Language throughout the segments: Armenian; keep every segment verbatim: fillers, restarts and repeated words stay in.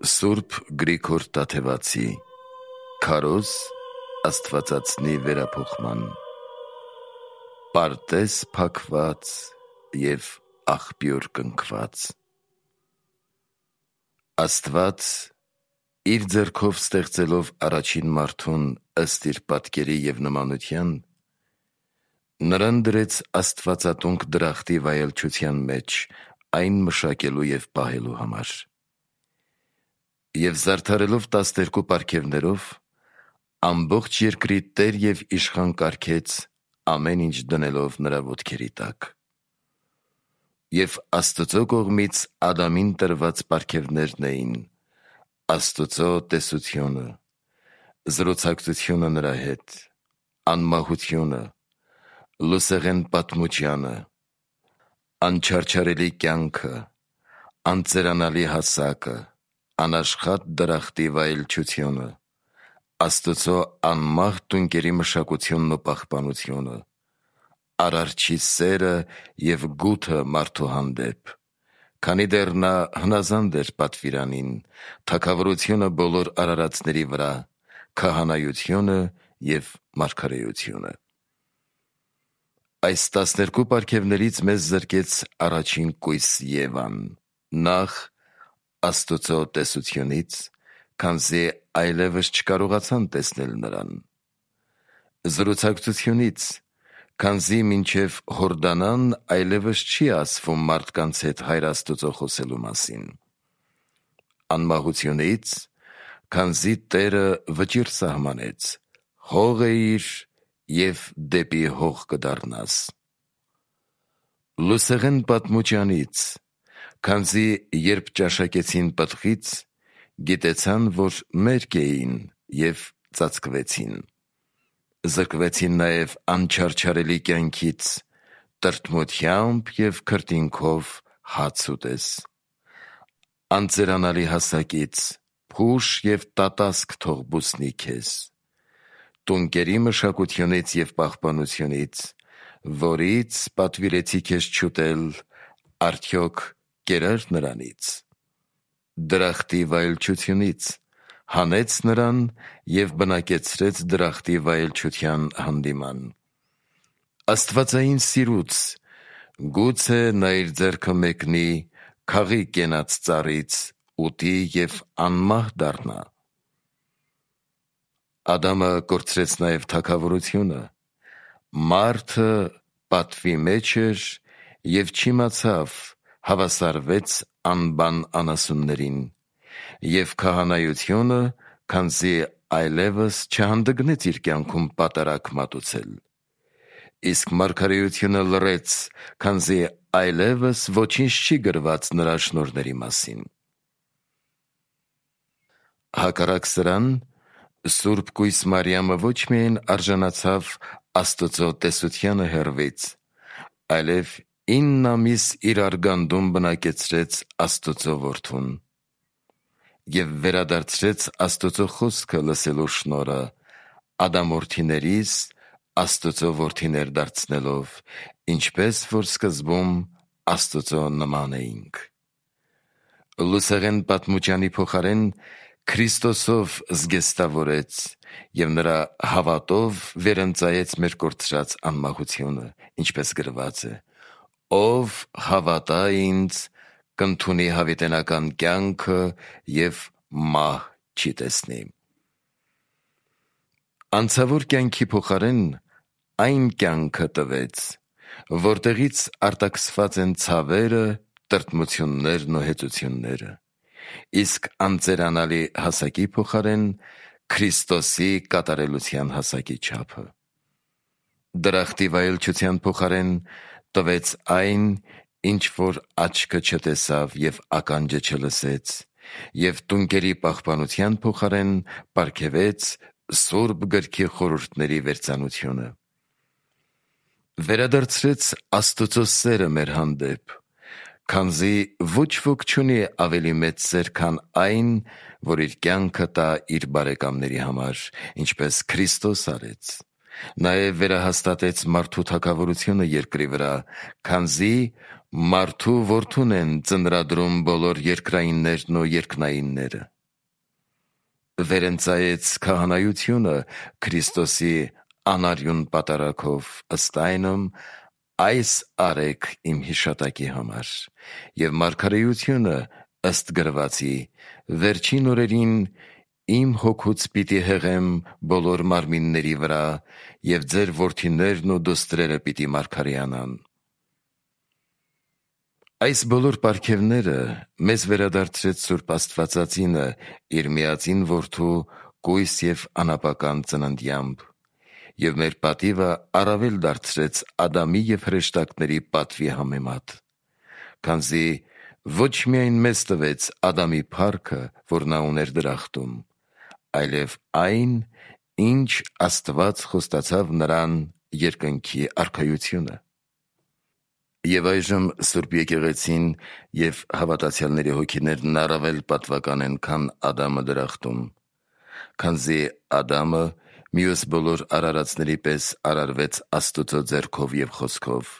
Սուրբ Գրիգոր Տաթևացի Քարոզ Աստվածածնի վերափոխման Պարտեզ փակված և աղբյուր կնքված Աստված իր ձեռքով ստեղծելով առաջին մարդուն ըստ իր պատկերի և նմանության, նրան դրեց աստվածատունկ դրախտի վայելչության մեջ այն մշակելու և պահելու համար: Եվ զարդարելով տասներկու պարգևներով, ամբողջ երկրի տեր և իշխան կարգեց, ամեն ինչ դնելով նրա ոտքերի տակ: Եվ Աստծո կողմից Ադամին տրված պարգևներն էին Աստծո տեսությունը, զրոցակցությունը նրա հետ, անմահությունը, լուսեղեն պատմությունը, անչարչարելի կյանքը, անծերանալի հասակը, անաշխատ դրախտի վայելչությունը, Աստծո անմահ տունկերի մշակությունն ու պահպանությունը, Արարչի սերը և գութը մարդու հանդեպ, քանի դեռ նա հնազանդ էր պատվիրանին, թագավորությունը բոլոր արարածների վրա, քահանայությունը և մարգարեությունը: Այս տասներկու պարգևներից մեզ զրկեց առաջին կույս Եվան, նախ Աստծո տեսությունից, քանզի այլևս չկարողացան տեսնել նրան, զրուցակցությունից, քանզի մինչև հորդանան այլևս չի ասվում մարդկանց հետ Հայր Աստծո խոսելու մասին, անմահությունից, քանզի Տերը վճիռ սահմանեց, հող էիր և դեպի հող կդառնաս, լուսեղեն պատմությանից, քանզի երբ ճաշակեցին պտղից, գիտեցան, որ մերկ էին և ծածկվեցին, զրկվեցին նաև անչարչարելի կյանքից, տրտմությամբ և քրտինքով հաց ուտես, անծերանալի հասակից, փուշ և տատասկ թող բուսնի քեզ, տունկերի մշակությունից և պահպանությունից, որից պատվիրեցի քեզ չուտել, արդյոք կերա՞ր նրանից, դրախտի վայելչությունից, հանեց նրան և բնակեցրեց դրախտի վայելչության հանդիման, աստվածային սիրուց, գուցե նա իր ձեռքը մեկնի, քաղի կենաց ծառից, ուտի և անմահ դառնա: Ադամը կորցրեց նաև թագավորությունը, մարդը պատվի մեջ էր և չիմացավ, հավասարվեց անբան անասուններին, և քահանայությունը, քանզի այլևս չհանդգնեց իր կյանքում պատարագ մատուցել, իսկ մարգարեությունը լռեց, քանզի այլևս ոչինչ չի գրված նրա շնորհների մասին: Հակառակ սրան, Սուրբ կույս Մարիամը ոչ միայն արժանացավ Աստծո տեսությանը հեռվից, այլև ինն ամիս իր արգանդում բնակեցրեց Աստծո որդուն և վերադարձրեց Աստծո խոսքը լսելու շնորհը, ադամորդիներիս Աստծո որդիներ դարձնելով, ինչպես որ սկզբում Աստծո նման էինք: Լուսեղեն պատմությանի փոխարեն Քրիստոսով զգեստավորեց և նրա հավատով վերընծայեց մեր կորցրած անմահությունը, ինչպես գրված է. «Ով հավատա ինձ, կընդունի հավիտենական կյանքը և մահ չի տեսնի»: Անցավոր կյանքի փոխարեն այն կյանքը տվեց, որտեղից արտաքսված են ցավերը, տրտմություններն ու հեծությունները, իսկ անծերանալի հասակի փոխարեն Քրիստոսի կատարելության հասակի չափը: Դրախտի վայելչության փոխարեն տվեց այն, ինչ որ աչքը չտեսավ և ականջը չլսեց, և տունկերի պահպանության փոխարեն պարգևեց Սուրբ Գրքի խորհուրդների վերծանությունը: Վերադարձրեց Աստծո սերը մեր հանդեպ, քանզի ոչ ոք չունի ավելի մեծ սեր, քան այն, որ իր կյանքը տա իր բարեկամների համար, ինչպես Քրիստոս արեց: Նաև վերահաստատեց մարդու թագավորությունը երկրի վրա, քանզի մարդու որդուն են ծնրադրում բոլոր երկրայիններն ու երկնայինները: վերընծայեց քահանայությունը Քրիստոսի անարյուն պատարագով, ըստ այնմ այս արեք իմ հիշատակի համար, եւ մարգարեությունը ըստ գրվածի վերջին օրերին իմ հոգուց պիտի հեղեմ բոլոր մարմինների վրա, եւ ձեր որդիներն ու դուստրերը պիտի մարգարեանան։ Այս բոլոր պարգևները մեզ վերադարձրեց Սուրբ Աստվածածինը իր միածին որդու կույս եւ անապական ծննդյամբ, եւ մեր պատիվը առավել դարձրեց Ադամի եւ հրեշտակների պատվի համեմատ, քանզի ոչ միայն մեզ տվեց Ադամի փառքը, որ նա ուներ դրախտում, այլև այն, ինչ Աստված խոստացավ նրան երկնքի արքայությունը։ Եվ այժմ Սուրբ եկեղեցին եւ հավատացյալների հոգիներն առավել պատվական են, քան Ադամը դրախտում, քանզի Ադամը մյուս բոլոր արարածների պես արարվեց Աստուծո ձեռքով եւ խոսքով,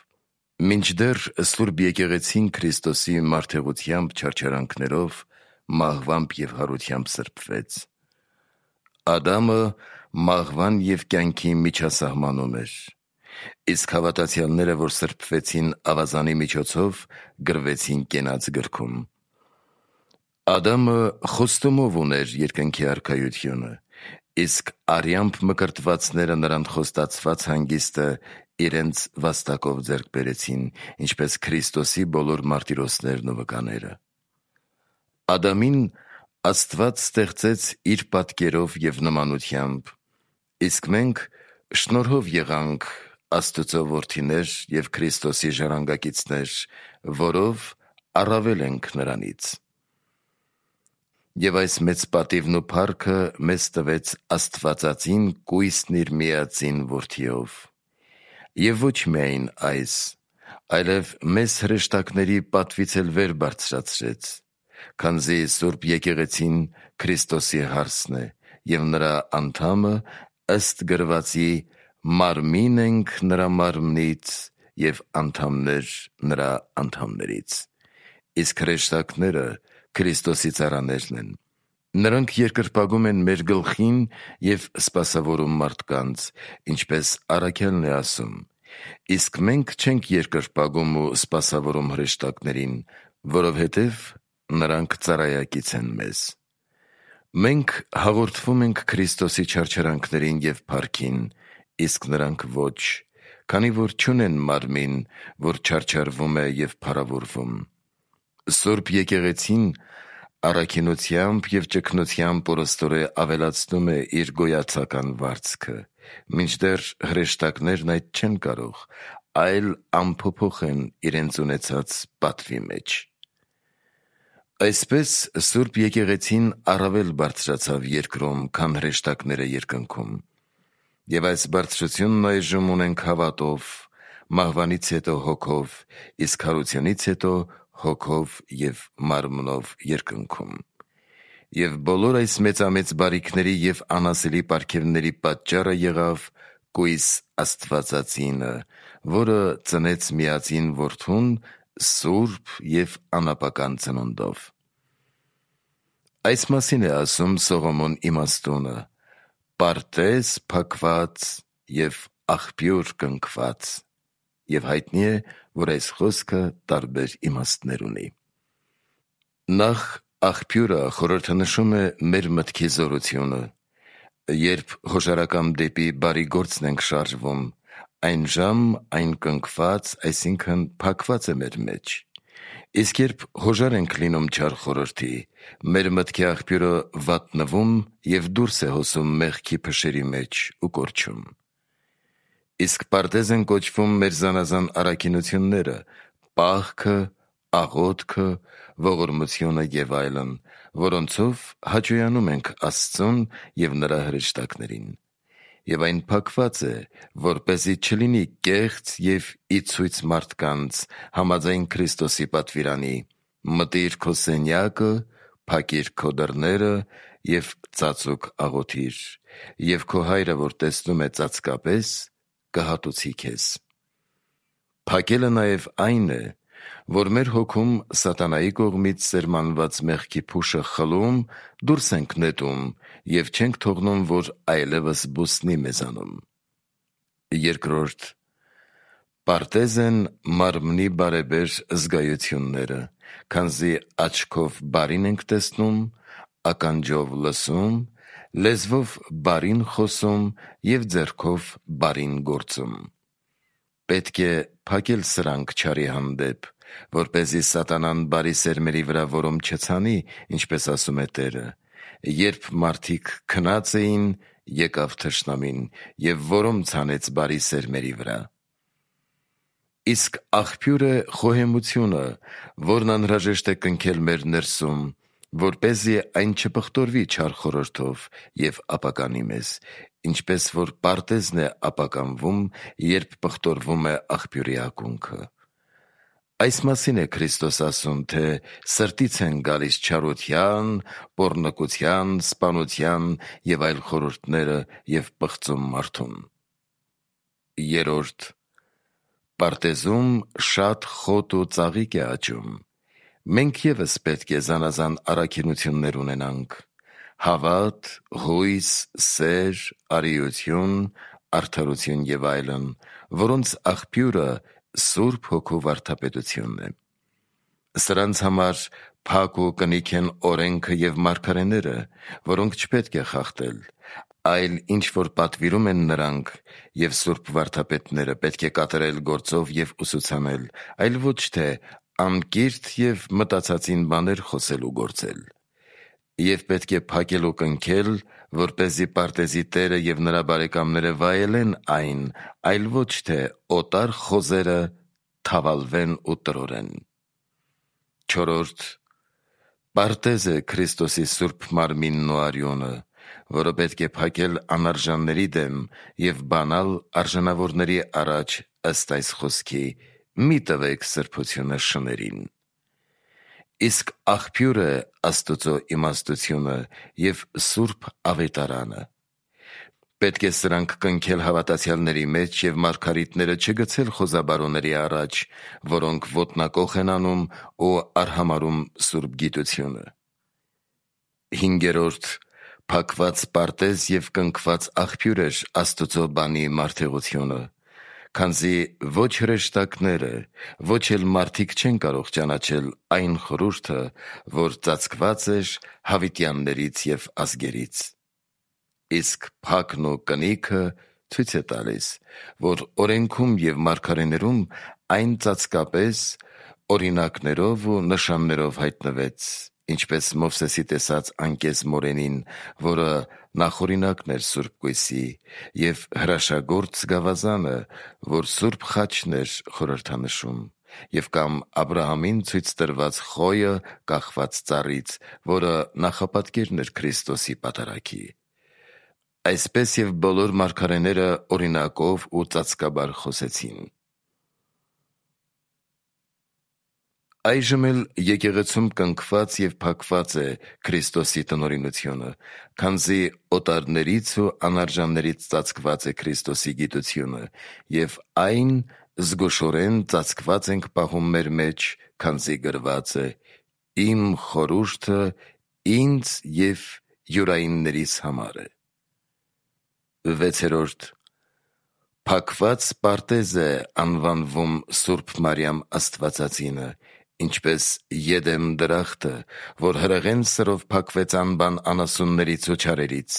մինչդեռ Սուրբ եկեղեցին Քրիստոսի մարդեղությամբ, չարչարանքներով, մահվամբ եւ հարությամբ սրբվեց։ Ադամը մահվան եւ կյանքի միջասահմանում էր, իսկ հավատացյալները, որ սրբվեցին ավազանի միջոցով, գրվեցին կենաց գրքում։ Ադամը խոստումով ուներ երկնքի արքայությունը, իսկ արյամբ մկրտվածները նրան խոստացված հանգիստը իրենց վաստակով ձեռք բերեցին, ինչպես Քրիստոսի բոլոր մարտիրոսներն ու վկաները։ Ադամին Աստված ստեղծեց իր պատկերով եւ նմանությամբ, իսկ մենք շնորհով եղանք Աստուծո որդիներ եւ Քրիստոսի ժառանգակիցներ, որով առավել ենք նրանից։ Եվ այս մեծ պատիվն ու փառքը մեզ տվեց Աստվածածին կույսն իր միածին որդիով։ Եվ ոչ միայն այս, այլև մեզ հրեշտակների պատվից էլ վեր բարձրացրեց, քանզի Սուրբ եկեղեցին Քրիստոսի հարսն է, եւ նրա անդամը ըստ գրվածի մարմին ենք նրա մարմնից եւ անդամներ նրա անդամներից, իսկ հրեշտակները Քրիստոսի ծառաներն են։ Նրանք երկրպագում են մեր գլխին եւ սպասավորում մարդկանց, ինչպես առաքյալն է ասում, իսկ մենք չենք երկրպագում ու սպասավորում հրեշտակներին, որովհետեւ նրանք ծառայակից են մեզ։ Մենք հաղորդվում ենք Քրիստոսի չարչարանքներին եւ փառքին, իսկ նրանք ոչ, քանի որ չունեն մարմին, որ չարչարվում է եւ փառավորվում։ Սուրբ եկեղեցին առաքինությամբ եւ ճգնությամբ օրստորե ավելացնում է իր գոյացական վարձքը, մինչդեռ հրեշտակներն այդ չեն կարող, այլ անփոփոխ են իրենց ունեցած պատվի մեջ։ Այսպես Սուրբ եկեղեցին առավել բարձրացավ երկրում, քան հրեշտակները երկնքում, եւ այս բարձրությունն այժմ ունենք հավատով, մահվանից հետո հոգով, իսկ հարությունից հետո հոգով եւ մարմնով երկնքում։ Եվ բոլոր այս մեծամեծ բարիքների եւ անասելի պարգևների պատճառը եղավ կույս Աստվածածինը, որը ծնեց միածին որդուն սուրբ եւ անապական ծնունդով։ Այս մասին է ասում Սողոմոն իմաստունը. «Պարտեզ փակված եւ աղբյուր կնքված», եւ հայտնի է, որ այս խոսքը տարբեր իմաստներ ունի։ Նախ աղբյուրը խորհրդանշում է մեր մտքի զորությունը։ Երբ հոժարակամ դեպի բարի գործն ենք շարժվում, այն ժամ այն կնքված, այսինքն փակված է մեր մեջ, իսկ երբ հոժար ենք լինում չար խորհրդի, մեր մտքի աղբյուրը վատնվում եւ դուրս է հոսում մեղքի փշերի մեջ ու կորչում։ Իսկ պարտեզ են կոչվում մեր զանազան առաքինությունները, պահքը, աղոթքը, ողորմությունը եւ այլն, որոնցով հաճոյանում ենք Աստծուն եւ նրա հրեշտակներին։ Եվ այն փակված է, որպեսզի չլինի կեղծ եւ ի ցույց մարդկանց, համաձայն Քրիստոսի պատվիրանի. մտիր քո սենյակը, փակիր քո դռները եւ ծածուկ աղոթիր, եւ քո հայրը, որ տեսնում է ծածկապես, կհատուցի քեզ։ Փակելը նաեւ այն է, որ մեր հոգում սատանայի կողմից սերմանված մեղքի փուշը խլում, դուրս ենք նետում և չենք թողնում, որ այլևս բուսնի մեզանում։ Երկրորդ, պարտեզ են մարմնի բարեբեր զգայությունները, քանզի աչքով բարին ենք տեսնում, ականջով լսում, լեզվով բարին խոսում և ձեռքով բարին գործում։ Պետք է փակել սրանք չարի հանդեպ, որպեսզի սատանան բարի սերմերի վրա որոմ չցանի, ինչպես ասում է Տերը. երբ մարդիկ քնած էին, եկավ թշնամին և որոմ ցանեց բարի սերմերի վրա։ Իսկ աղբյուր է խոհեմությունը, որն անհրաժեշտ է կնքել մեր ներսում, որպեսզի այն չպղտորվի չար խորհրդով և ապականի մեզ, ինչպես որ պարտեզն է ապականվում, երբ պղտորվում է աղբյուրի ակունքը։ Այս մասին է Քրիստոս ասում, թե սրտից են գալիս չարության, պոռնկության, սպանության և այլ խորհուրդները և պղծում մարդուն։ Երրորդ, պարտեզում շատ խոտ ու ծաղիկ է աճում։ Մենք ևս պետք է զանազան առաքինություններ ունենանք՝ հավատ, հույս, սեր, արիություն, արդարություն և այլն, որոնց աղբյուրը Սուրբ Հոգու վարդապետությունն է։ Սրանց համար փակ ու կնիք են օրենքը և մարգարեները, որոնք չպետք է խախտել, այլ ինչ որ պատվիրում են նրանք և սուրբ վարդապետները, պետք է կատարել գործով և ուսուցանել, այլ ոչ թե անկիրթ և մտածածին բաներ խոսել ու գործել։ Եվ պետք է փակել ու կնքել, որպեսզի պարտեզի տերը և նրա բարեկամները վայելեն այն, այլ ոչ թե օտար խոզերը թավալվեն ու տրորեն։ Չորրորդ, պարտեզ է Քրիստոսի սուրբ մարմինն ու արյունը, որը պետք է փակել անարժանների դեմ և բանալ արժանավորների առաջ ըստ այս խոսքի. «Մի տվեք սրբությունը շներին»։ Իսկ աղբյուր է Աստուծո իմաստությունը և սուրբ ավետարանը։ Պետք է սրանք կնքել հավատացյալների մեջ և մարգարիտները չգցել խոզաբարոների առաջ, որոնք ոտնակոխ են անում ու արհամարհում սուրբ գիտությունը։ Հինգերորդ, փակված պարտեզ և կնքված աղբյուր էր Աստուծո բանի մարդեղությունը, քանզի ոչ հրեշտակները, ոչ էլ մարդիկ չեն կարող ճանաչել այն խորհուրդը, որ ծածկված էր հավիտյաններից և ազգերից։ Իսկ փակն ու կնիքը ցույց է տալիս, որ օրենքում և մարգարեներում այն ծածկապես օրինակներով ու նշաններով հայտնվեց, ինչպես Մովսեսի տեսած անկեզ մորենին, որը նախօրինակն էր սուրբ կույսի, և հրաշագործ գավազանը, որ սուրբ խաչն էր խորհրդանշում, և կամ Աբրահամին ցույց տրված խոյը կախված ծառից, որը նախապատկերն էր Քրիստոսի պատարագի։ Այսպես և բոլոր մարգարեները օրինակով ու ծածկաբար խոսեցին։ Այժմ էլ եկեղեցում կնքված և փակված է Քրիստոսի տնօրինությունը, քանզի օտարներից ու անարժաններից ծածկված է Քրիստոսի գիտությունը, և այն զգուշորեն ծածկված ենք պահում մեր մեջ, քանզի գրված է. «Իմ խորհուրդը ինձ և յուրայիններիս համար է»։ Վեցերորդ, փակված պարտեզ է անվանվում Սուրբ Մարիամ Աստվածածինը, ինչպես Եդեմ դրախտը, որ հրեղեն սրով փակվեց անբան անասուններից ու չարերից։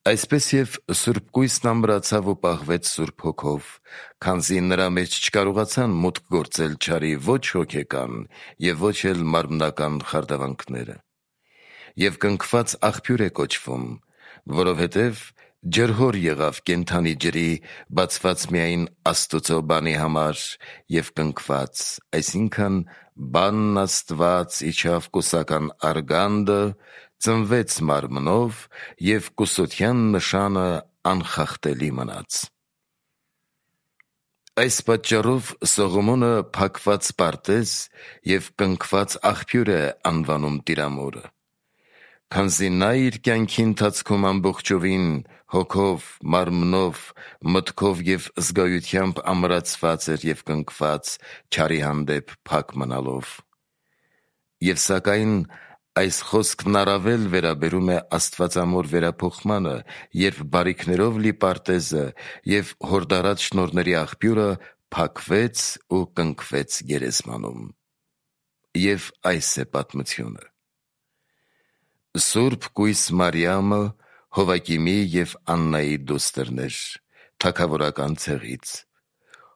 Այսպես և Սուրբ Կույսն ամրացավ ու պահվեց Սուրբ Հոգով, քանզի նրա մեջ չկարողացան մուտք գործել չարի ոչ հոգեկան և ոչ էլ մարմնական խարդավանքները։ Եվ կնքված աղբյուր է կոչվում, որովհետև ջրհոր եղավ կենդանի ջրի, բացված միայն Աստուծո բանի համար, և կնքված, այսինքն բանն Աստված իջավ կուսական արգանդը, ծնվեց մարմնով և կուսության նշանը անխախտելի մնաց։ Այս պատճառով Սողոմոնը փակված պարտեզ և կնքված աղբյուր է անվանում Տիրամորը, քանզի նա իր կյանքի ընթացքում ամբողջովին հոգով, մարմնով, մտքով և զգայությամբ ամրացված էր և կնքված չարի հանդեպ փակ մնալով։ Եվ սակայն այս խոսքն առավել վերաբերում է աստվածամոր վերափոխմանը, երբ բարիքներով լի պարտեզը և հորդառած շնորհների աղբյուրը փակվեց ու կնքվեց գերեզմանում։ Եվ այս է պատմությունը. Սուրբ կույս Մարիամը Հովակիմի և Աննայի դուստրն էր, թագավորական ցեղից,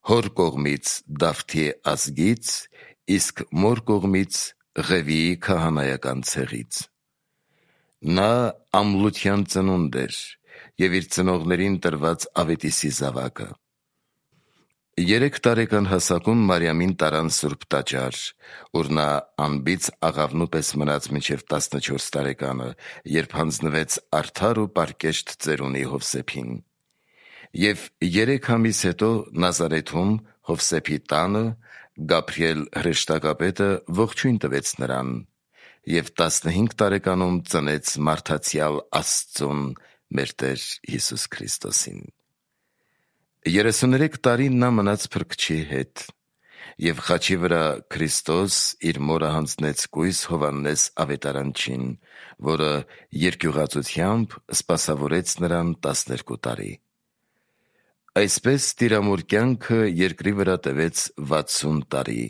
հոր կողմից Դավթի ազգից, իսկ մոր կողմից Ղևիի քահանայական ցեղից։ Նա ամլության ծնունդ էր և իր ծնողներին տրված Ավետիսի զավակը։ Երեք տարեկան հասակում Մարիամին տարան սուրբ տաճար, ուր նա անբիծ աղավնու պես մնաց մինչև տասնչորս տարեկանը, երբ հանձնվեց արդար ու պարկեշտ ծերունի Հովսեփին։ Եվ երեք ամիս հետո Նազարեթում Հովսեփի տանը Գաբրիել հրեշտակապետը ողջույն տվեց նրան և տասնհինգ տարեկանում ծնեց մարդացյալ Աստծուն, մեր Տեր Հիսուս Քրիստոսին։ Երեսուներեք տարի նա մնաց փրկչի հետ և խաչի վրա Քրիստոս իր մորը հանձնեց կույս Հովհաննես ավետարանչին, որը երկյուղածությամբ սպասավորեց նրան տասներկու տարի։ Այսպես տիրամոր կյանքը երկրի վրա տևեց վաթսուն տարի։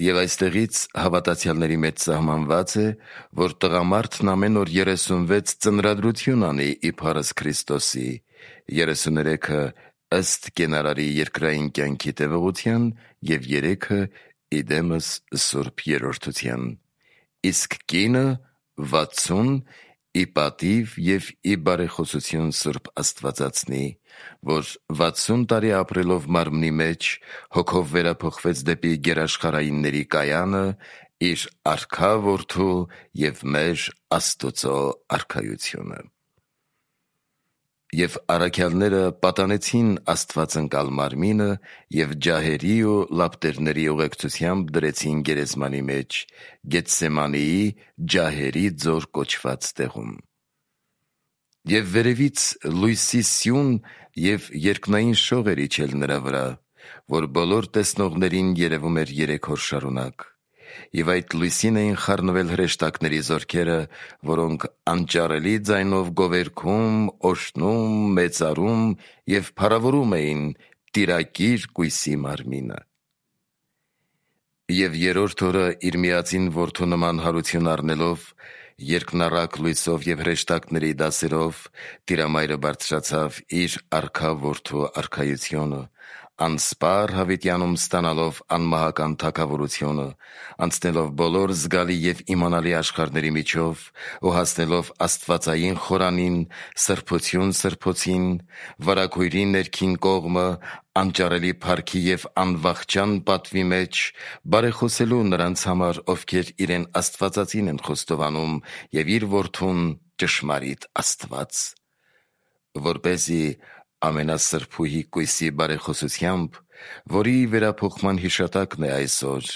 Եվ այստեղից հավատացյալների մեջ սահմանված է, որ տղամարդն ամեն օր երեսունվեց ծնրադրություն անի իբարս Քրիստոսի, երեսուներեքը ըստ կենարարի երկրային կյանքի տևողության և երեքը իդեմս սուրբ երրորդության, իսկ կինը վաթսուն ի պատիվ և ի բարեխոսություն Սուրբ Աստվածածնի, որ վաթսուն տարի ապրելով մարմնի մեջ, հոգով վերափոխվեց դեպի գերաշխարհայինների կայանը, իր արքա որդու և մեր Աստուծո արքայությունը։ Եվ առաքյալները պատանեցին Աստվածընկալ մարմինը և ջահերի ու լապտերների ուղեկցությամբ դրեցին գերեզմանի մեջ, Գեթսեմանեի ջահերի ձոր կոչված տեղում։ Եվ վերևից լույսի սյուն և երկնային շող էր իջել նրա վրա, որ բոլոր տեսնողներին երևում էր երեք օր շարունակ։ Եվ այդ լույսին էին խառնվել հրեշտակների զորքերը, որոնք անճարելի ձայնով գովերգում, օշնում, մեծարում և փառավորում էին տիրակիր կույսի մարմինը։ Եվ երրորդ օրը իր միածին որդու նման հարություն առնելով, երկնառակ լույսով և հրեշտակների դասերով, Տիրամայրը բարձրացավ իր արքա որդու արքայությունը, անսպառ հավիտյանում ստանալով անմահական թագավորությունը, անցնելով բոլոր զգալի և իմանալի աշխարհների միջով ու հասնելով աստվածային խորանին, սրբություն սրբոցին, վարագույրի ներքին կողմը, անճարելի փառքի և անվախճան պատվի մեջ, բարեխոսելու նրանց համար, ովքեր իրեն Աստվածածին են խոստովանում, և իր որդուն ճշմարիտ Աստված, որպեսզի ամենասրբուհի կույսի բարեխոսությամբ, որի վերափոխման հիշատակն է այսօր,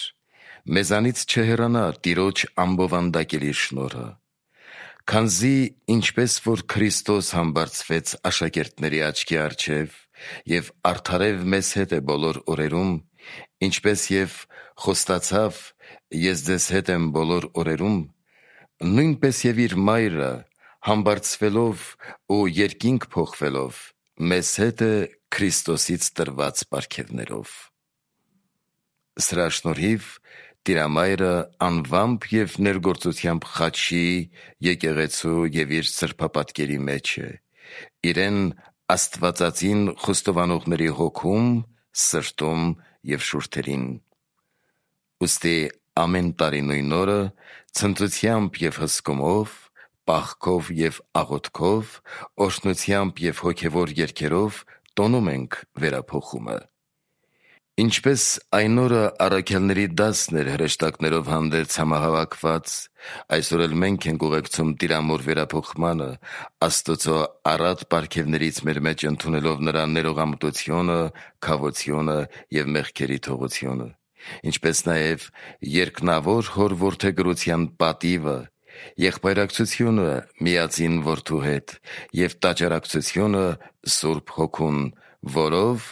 մեզանից չհեռանա Տիրոջ ամբովանդակելի շնորհը, քանզի ինչպես որ Քրիստոս համբարձվեց աշակերտների աչքի առջև և արդարև մեզ հետ է բոլոր օրերում, ինչպես և խոստացավ. «Ես ձեզ հետ եմ բոլոր օրերում», նույնպես և իր Մայրը համբարձվելով ու երկինք փոխվելով մեզ հետ է Քրիստոսից տրված պարգևներով։ Սրա շնորհիվ Տիրամայրը անվամբ և ներգործությամբ խաչի, եկեղեցու և իր սրբապատկերի մեջ է, իրեն Աստվածածին խոստովանողների հոգում, սրտում և շուրթերին։ Ուստի ամեն տարի նույն օրը ցնծությամբ և հսկումով, պաղքով և աղոթքով, օրհնությամբ և հոգևոր երգերով տոնում ենք վերափոխումը։ Ինչպես այն օրը առաքյալների դասն էր հրեշտակներով հանդերձ համահավաքված, այսօր էլ մենք ենք ուղեկցում Տիրամոր վերափոխմանը, Աստուծո առատ պարգևներից մեր մեջ ընդունելով նրա ներողամտությունը, քավությունը և մեղքերի թողությունը, ինչպես նաև երկնավոր Հոր որդեգրության պատիվը եղբայրակցությունը միածին որդու հետ և տաճարակցությունը Սուրբ Հոգուն, որով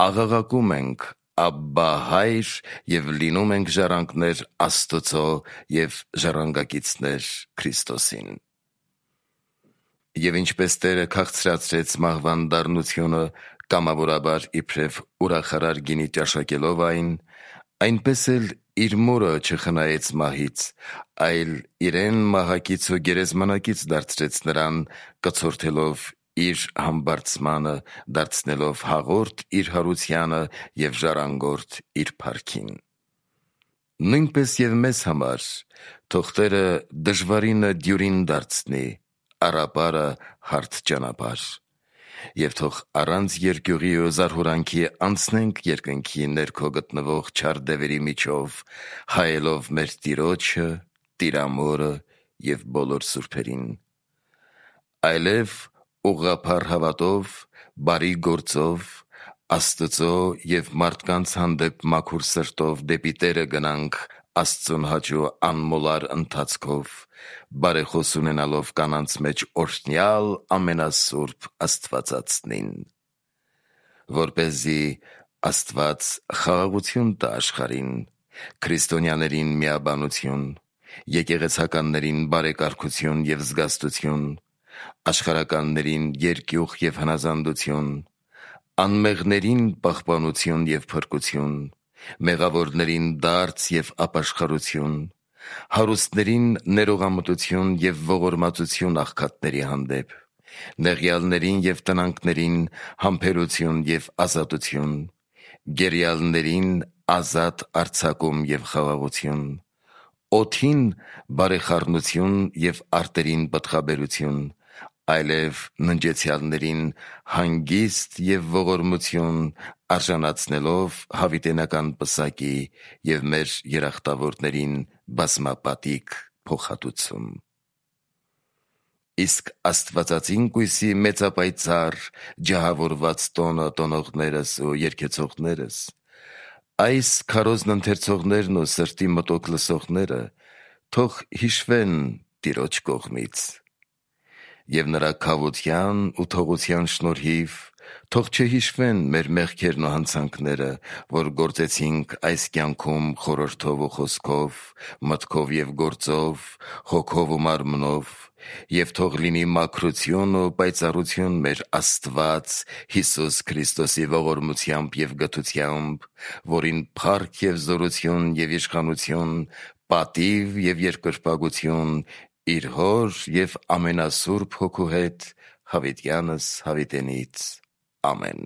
աղաղակում ենք «Աբբա, Հայր» և լինում ենք ժառանգներ Աստծո և ժառանգակիցներ Քրիստոսին։ Եվ ինչպես Տերը քաղցրացրեց մահվան դառնությունը կամավորաբար իբրև ուրախարար գինի ճաշակելով այն, այնպես էլ իր մորը չխնայեց մահից, այլ իրեն մահակից ու գերեզմանակից դարձրեց նրան, կցորդելով իր համբարձմանը, դարձնելով հաղորդ իր հարությանը և ժառանգորդ իր փառքին։ Նույնպես և մեզ համար թող Տերը դժվարինը դյուրին դարձնի, առապարը հարթ ճանապարհ, և թող առանց երկյուղի ու զարհուրանքի անցնենք երկնքի ներքո գտնվող չար դևերի միջով, հայելով մեր Տիրոջը, Տիրամորը և բոլոր սուրբերին, այլև ուղղափառ հավատով, բարի գործով, Աստծո և մարդկանց հանդեպ մաքուր սրտով դեպի Տերը գնանք Աստծուն հաճո անմոլար ընթացքով, բարեխոս ունենալով կանանց մեջ օրհնյալ ամենասուրբ Աստվածածնին, որպեսզի Աստված խաղաղություն տա աշխարհին, քրիստոնյաներին միաբանություն, եկեղեցականներին բարեկարգություն և զգաստություն, աշխարհականներին երկյուղ և հնազանդություն, անմեղներին պահպանություն և փրկություն, մեղավորներին դարձ և ապաշխարություն, հարուստներին ներողամտություն և ողորմածություն աղքատների հանդեպ, նեղյալներին և տնանքներին համբերություն և ազատություն, գերիալներին ազատ արձակում և խաղաղություն, օդին բարեխառնություն և արտերին պտղաբերություն, այլև ննջեցյալներին հանգիստ և ողորմություն արժանացնելով հավիտենական պսակի և մեր երախտավորներին բազմապատիկ փոխհատուցում։ Իսկ աստվածածին կույսի մեծապայծառ ջահավորված տոնը տոնողներս ու երգեցողներս, այս քարոզն ընթերցողներն ու սրտի մտոք լսողները թող հիշվեն Տիրոջ կողմից, և նրա քավության ու թողության շնորհիվ թող չհիշվեն մեր մեղքերն ու հանցանքները, որ գործեցինք այս կյանքում խորհրդով ու խոսքով, մտքով և գործով, հոգով ու մարմնով, և թող լինի մաքրություն ու պայծառություն մեր Աստված Հիսուս Քրիստոսի ողորմությամբ և գթությամբ, որին փառք և զորություն և իշխանություն, պատիվ և երկրպագություն իր Հոր և ամենասուրբ Հոգու հետ հավիտյանս հավիտենից։ Ամեն։